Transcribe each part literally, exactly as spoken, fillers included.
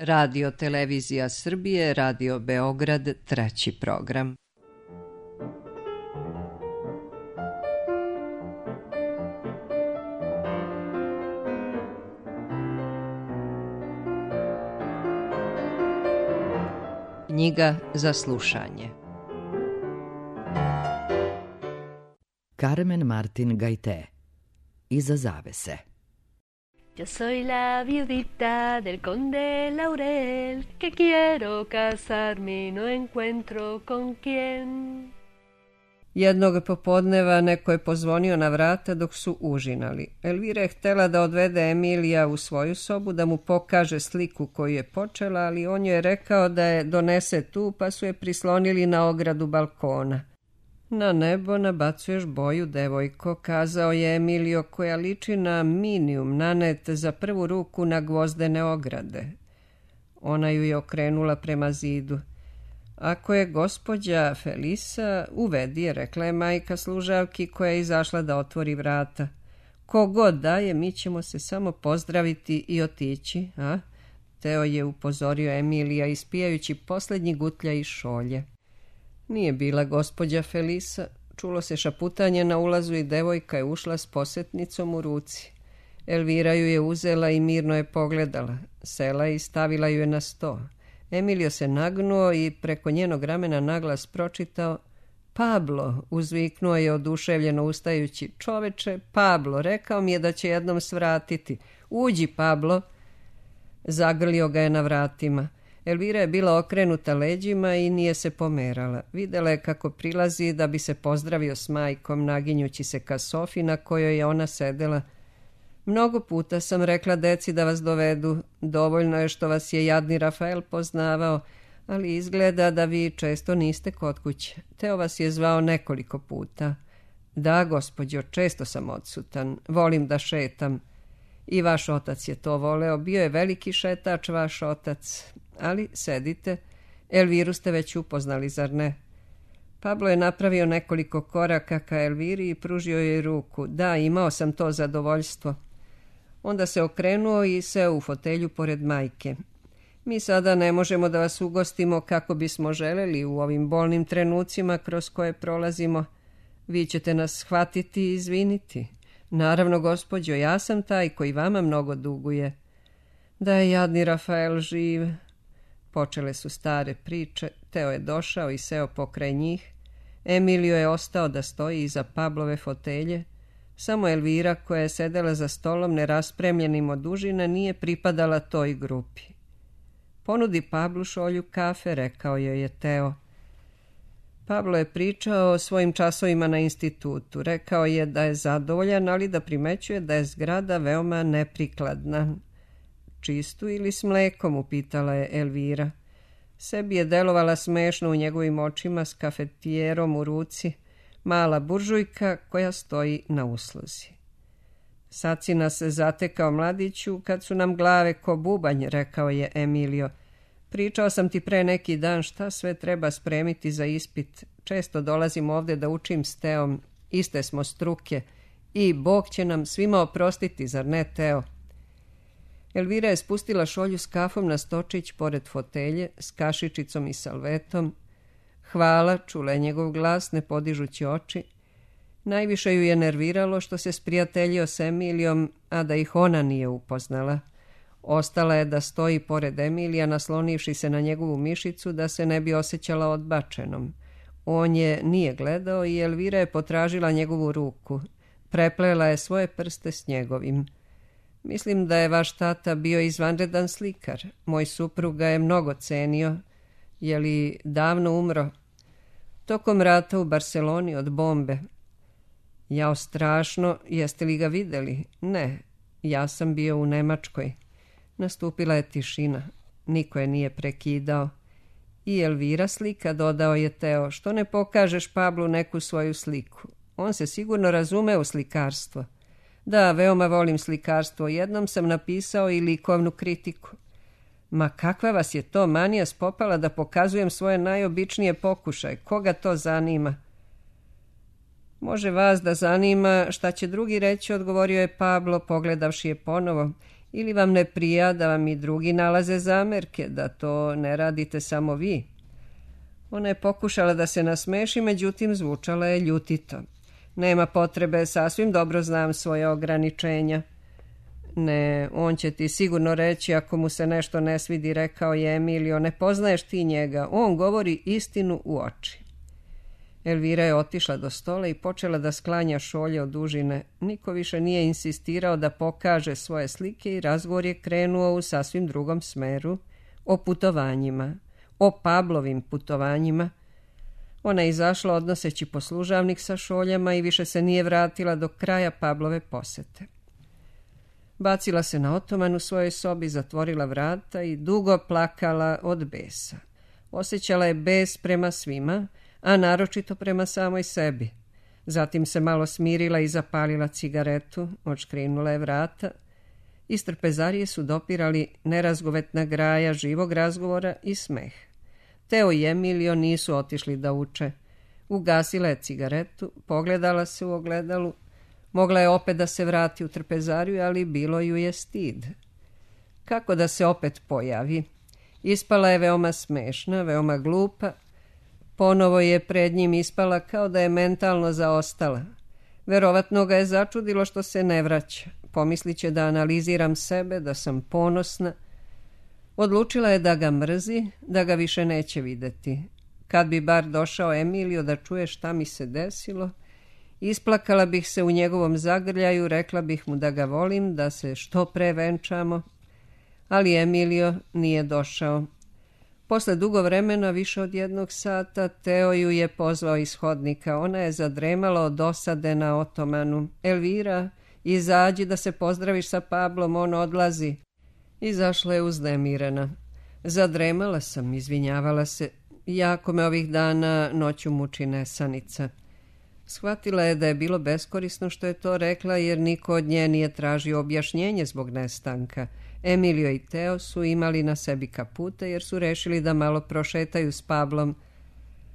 Radio Televizija Srbije, Radio Beograd, treći program. Knjiga za slušanje. Carmen Martin Gaité. Iza zavese. Yo soy la viudita del conde Laurel, que quiero casarme y no encuentro con quién. Jednog popodneva neko je pozvonio na vrata dok su užinali. Elvira je htjela da odvede Emilija u svoju sobu, da mu pokaže sliku koju je počela, ali on joj je rekao da je donese tu, pa su je prislonili na ogradu balkona. Na nebo nabacuješ boju, devojko, kazao je Emilio, koja liči na minijum nanet za prvu ruku na gvozdene ograde. Ona ju je okrenula prema zidu. Ako je gospođa Felisa, uvedi je, rekla je majka služavki koja je izašla da otvori vrata. Ko god daje, mi ćemo se samo pozdraviti i otići, a? Teo je upozorio Emilija ispijajući posljednji gutlja iz šolje. Nije bila gospođa Felisa, čulo se šaputanje na ulazu i devojka je ušla s posetnicom u ruci. Elvira ju je uzela i mirno je pogledala, sela i stavila ju je na sto. Emilio se nagnuo i preko njenog ramena naglas pročitao: Pablo, uzviknuo je oduševljeno ustajući. Čoveče, Pablo, rekao mi je da će jednom svratiti. Uđi, Pablo. Zagrlio ga je na vratima. Elvira je bila okrenuta leđima i nije se pomerala. Videla je kako prilazi da bi se pozdravio s majkom, naginjući se ka sofi na kojoj je ona sedela. Mnogo puta sam rekla deci da vas dovedu. Dovoljno je što vas je jadni Rafael poznavao, ali izgleda da vi često niste kod kuće. Teo vas je zvao nekoliko puta. Da, gospođo, često sam odsutan. Volim da šetam. I vaš otac je to voleo. Bio je veliki šetač, vaš otac. Ali sedite. Elviru ste već upoznali, zar ne? Pablo je napravio nekoliko koraka ka Elviri i pružio joj ruku. Da, imao sam to zadovoljstvo. Onda se okrenuo i seo u fotelju pored majke. Mi sada ne možemo da vas ugostimo kako bismo želeli u ovim bolnim trenucima kroz koje prolazimo. Vi ćete nas shvatiti i izviniti. Naravno, gospođo, ja sam taj koji vama mnogo duguje. Da je jadni Rafael živ. Počele su stare priče. Teo je došao i seo pokraj njih. Emilio je ostao da stoji iza Pablove fotelje. Samo Elvira, koja je sedela za stolom neraspremljenim od užina, nije pripadala toj grupi. Ponudi Pablu šolju kafe, rekao joj je Teo. Pablo je pričao o svojim časovima na institutu. Rekao je da je zadovoljan, ali da primećuje da je zgrada veoma neprikladna. Čistu ili s mlekom, upitala je Elvira. Sebi je delovala smešno u njegovim očima s kafetijerom u ruci, mala buržujka koja stoji na usluzi. Sad si nas zatekao, mladiću, kad su nam glave ko bubanj, rekao je Emilio. Pričao sam ti pre neki dan šta sve treba spremiti za ispit. Često dolazim ovde da učim s Teom, iste smo struke i Bog će nam svima oprostiti, zar ne, Teo? Elvira je spustila šolju s kafom na stočić pored fotelje, s kašičicom i salvetom. Hvala, čula je njegov glas, ne podižući oči. Najviše ju je nerviralo što se sprijateljio s Emilijom, a da ih ona nije upoznala. Ostala je da stoji pored Emilija, naslonivši se na njegovu mišicu da se ne bi osjećala odbačenom. On je nije gledao i Elvira je potražila njegovu ruku. Preplela je svoje prste s njegovim. Mislim da je vaš tata bio izvanredan slikar. Moj suprug ga je mnogo cenio. Je li davno umro? Tokom rata u Barceloni od bombe. Jao, strašno. Jeste li ga videli? Ne. Ja sam bio u Nemačkoj. Nastupila je tišina. Niko je nije prekidao. I Elvira slika, dodao je Teo. Što ne pokažeš Pablu neku svoju sliku? On se sigurno razume u slikarstvo. Da, veoma volim slikarstvo. Jednom sam napisao i likovnu kritiku. Ma kakva vas je to manija spopala da pokazujem svoje najobičnije pokušaje? Koga to zanima? Može vas da zanima šta će drugi reći, odgovorio je Pablo, pogledavši je ponovo. Ili vam ne prija da vam i drugi nalaze zamerke, da to ne radite samo vi? Ona je pokušala da se nasmeši, međutim zvučala je ljutito. Nema potrebe, sasvim dobro znam svoje ograničenja. Ne, on će ti sigurno reći ako mu se nešto ne svidi, rekao je Emilio, ne poznaješ ti njega, on govori istinu u oči. Elvira je otišla do stola i počela da sklanja šolje od dužine. Niko više nije insistirao da pokaže svoje slike i razgovor je krenuo u sasvim drugom smeru, o putovanjima, o Pablovim putovanjima. Ona je izašla odnoseći poslužavnik sa šoljama i više se nije vratila do kraja Pavlove posete. Bacila se na otoman u svojoj sobi, zatvorila vrata i dugo plakala od besa. Osjećala je bes prema svima, a naročito prema samoj sebi. Zatim se malo smirila i zapalila cigaretu, odškrinula je vrata. Iz trpezarije su dopirali nerazgovetna graja živog razgovora i smeh. Teo i Emilio nisu otišli da uče. Ugasila je cigaretu, pogledala se u ogledalu. Mogla je opet da se vrati u trpezariju, ali bilo ju je stid. Kako da se opet pojavi? Ispala je veoma smešna, veoma glupa. Ponovo je pred njim ispala kao da je mentalno zaostala. Verovatno ga je začudilo što se ne vraća. Pomislit će da analiziram sebe, da sam ponosna. Odlučila je da ga mrzi, da ga više neće videti. Kad bi bar došao Emilio da čuje šta mi se desilo, isplakala bih se u njegovom zagrljaju, rekla bih mu da ga volim, da se što pre venčamo. Ali Emilio nije došao. Posle dugo vremena, više od jednog sata, Teo ju je pozvao iz hodnika. Ona je zadremala od dosade na otomanu. Elvira, izađi da se pozdraviš sa Pablom, on odlazi. Izašla je uznemirena. Zadremala sam, izvinjavala se. Jako me ovih dana noću muči nesanica. Shvatila je da je bilo beskorisno što je to rekla, jer niko od nje nije tražio objašnjenje zbog nestanka. Emilio i Teo su imali na sebi kapute jer su rešili da malo prošetaju s Pablom.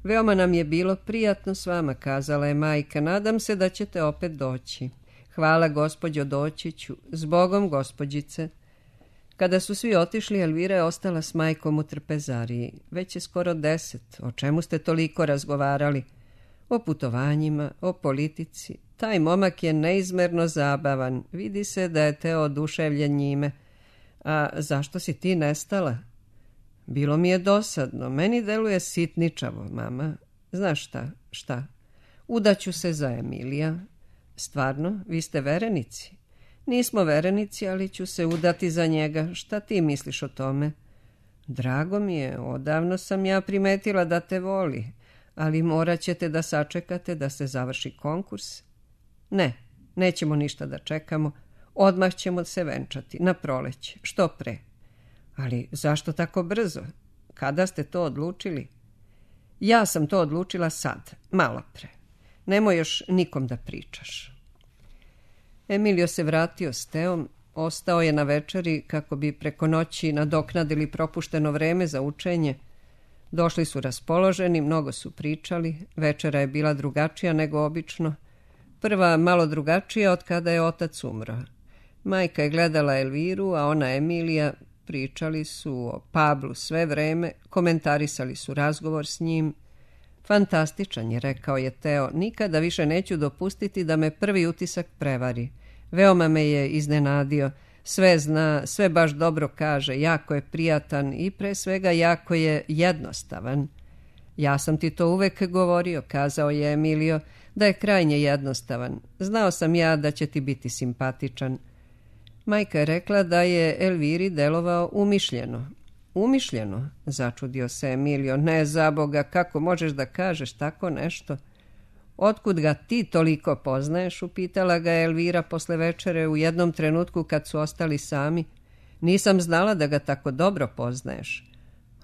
Veoma nam je bilo prijatno s vama, kazala je majka. Nadam se da ćete opet doći. Hvala, gospođo, doći ću. Zbogom, gospođice. Kada su svi otišli, Elvira je ostala s majkom u trpezariji. Već je skoro deset. O čemu ste toliko razgovarali? O putovanjima, o politici. Taj momak je neizmerno zabavan. Vidi se da je Teo oduševljen njime. A zašto si ti nestala? Bilo mi je dosadno. Meni deluje sitničavo, mama. Znaš šta? Šta? Udaću se za Emilija. Stvarno? Vi ste verenici? Nismo verenici, ali ću se udati za njega. Šta ti misliš o tome? Drago mi je. Odavno sam ja primetila da te voli. Ali morat ćete da sačekate da se završi konkurs. Ne, nećemo ništa da čekamo. Odmah ćemo se venčati, na proleće, što pre. Ali zašto tako brzo? Kada ste to odlučili? Ja sam to odlučila sad, malo pre. Nemoj još nikom da pričaš. Emilio se vratio s Teom, ostao je na večeri kako bi preko noći nadoknadili propušteno vreme za učenje. Došli su raspoloženi, mnogo su pričali, večera je bila drugačija nego obično. Prva malo drugačija od kada je otac umro. Majka je gledala Elviru, a ona Emilija. Pričali su o Pablu sve vreme, komentarisali su razgovor s njim. Fantastičan je, rekao je Teo, nikada više neću dopustiti da me prvi utisak prevari. Veoma me je iznenadio, sve zna, sve baš dobro kaže, jako je prijatan i pre svega jako je jednostavan. Ja sam ti to uvek govorio, kazao je Emilio, da je krajnje jednostavan. Znao sam ja da će ti biti simpatičan. Majka je rekla da je Elviri delovao umišljeno. Umišljeno? Začudio se Emilio. Ne, za Boga, kako možeš da kažeš tako nešto? Otkud ga ti toliko poznaješ? Upitala ga Elvira posle večere u jednom trenutku kad su ostali sami. Nisam znala da ga tako dobro poznaješ.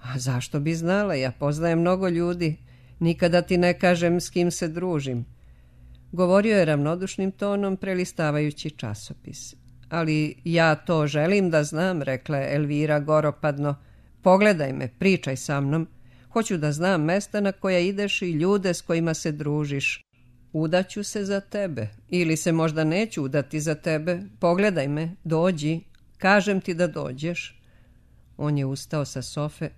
A zašto bi znala? Ja poznajem mnogo ljudi. Nikada ti ne kažem s kim se družim. Govorio je ravnodušnim tonom, prelistavajući časopis. Ali ja to želim da znam, rekla je Elvira goropadno. Pogledaj me, pričaj sa mnom. Hoću da znam mesta na koja ideš i ljude s kojima se družiš. Udaću se za tebe. Ili se možda neću udati za tebe. Pogledaj me, dođi. Kažem ti da dođeš. On je ustao sa sofe.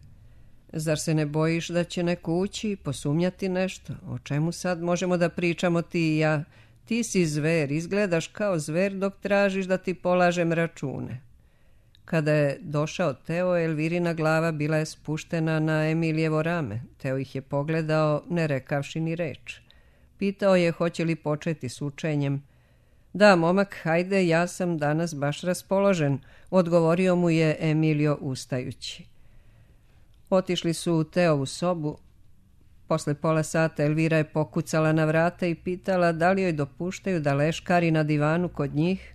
Zar se ne bojiš da će neko ući i posumnjati nešto? O čemu sad možemo da pričamo ti i ja? Ti si zver, izgledaš kao zver dok tražiš da ti polažem račune. Kada je došao Teo, Elvirina glava bila je spuštena na Emilijevo rame. Teo ih je pogledao, ne rekavši ni reč. Pitao je hoće li početi s učenjem. Da, momak, hajde, ja sam danas baš raspoložen, odgovorio mu je Emilio ustajući. Otišli su u Teovu sobu. Posle pola sata Elvira je pokucala na vrata i pitala da li joj dopuštaju da leškari na divanu kod njih.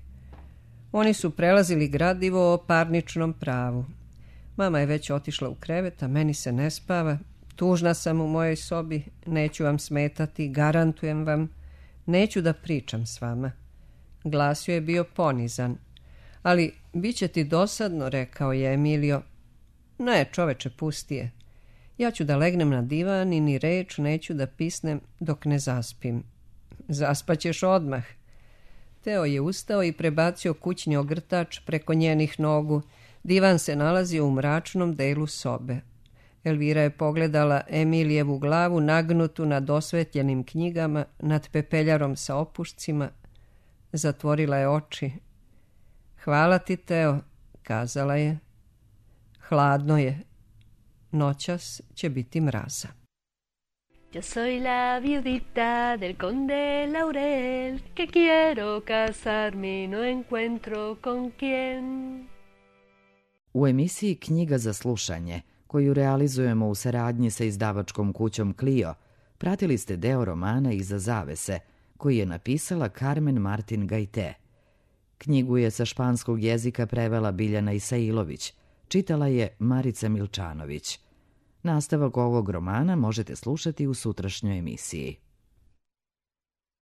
Oni su prelazili gradivo o parničnom pravu. Mama je već otišla u krevet, a meni se ne spava. Tužna sam u mojoj sobi, neću vam smetati, garantujem vam. Neću da pričam s vama. Glas joj je bio ponizan. Ali bit će ti dosadno, rekao je Emilio. Ne, čoveče, pusti je. Ja ću da legnem na divan i ni reč neću da pisnem dok ne zaspim. Zaspaćeš odmah. Teo je ustao i prebacio kućni ogrtač preko njenih nogu. Divan se nalazio u mračnom delu sobe. Elvira je pogledala Emilijevu glavu nagnutu nad osvetljenim knjigama, nad pepeljarom sa opušcima. Zatvorila je oči. Hvala ti, Teo, kazala je. Hladno je. Noćas će biti mraza. Yo soy la viudita del conde Laurel, que quiero casarme y no encuentro con quién. U emisiji Knjiga za slušanje, koju realizujemo u saradnji sa izdavačkom kućom Clio, pratili ste deo romana Iza zavese, koji je napisala Carmen Martin Gajte. Knjigu je sa španskog jezika prevela Biljana Isailović, čitala je Marica Milčanović. Nastavak ovog romana možete slušati u sutrašnjoj emisiji.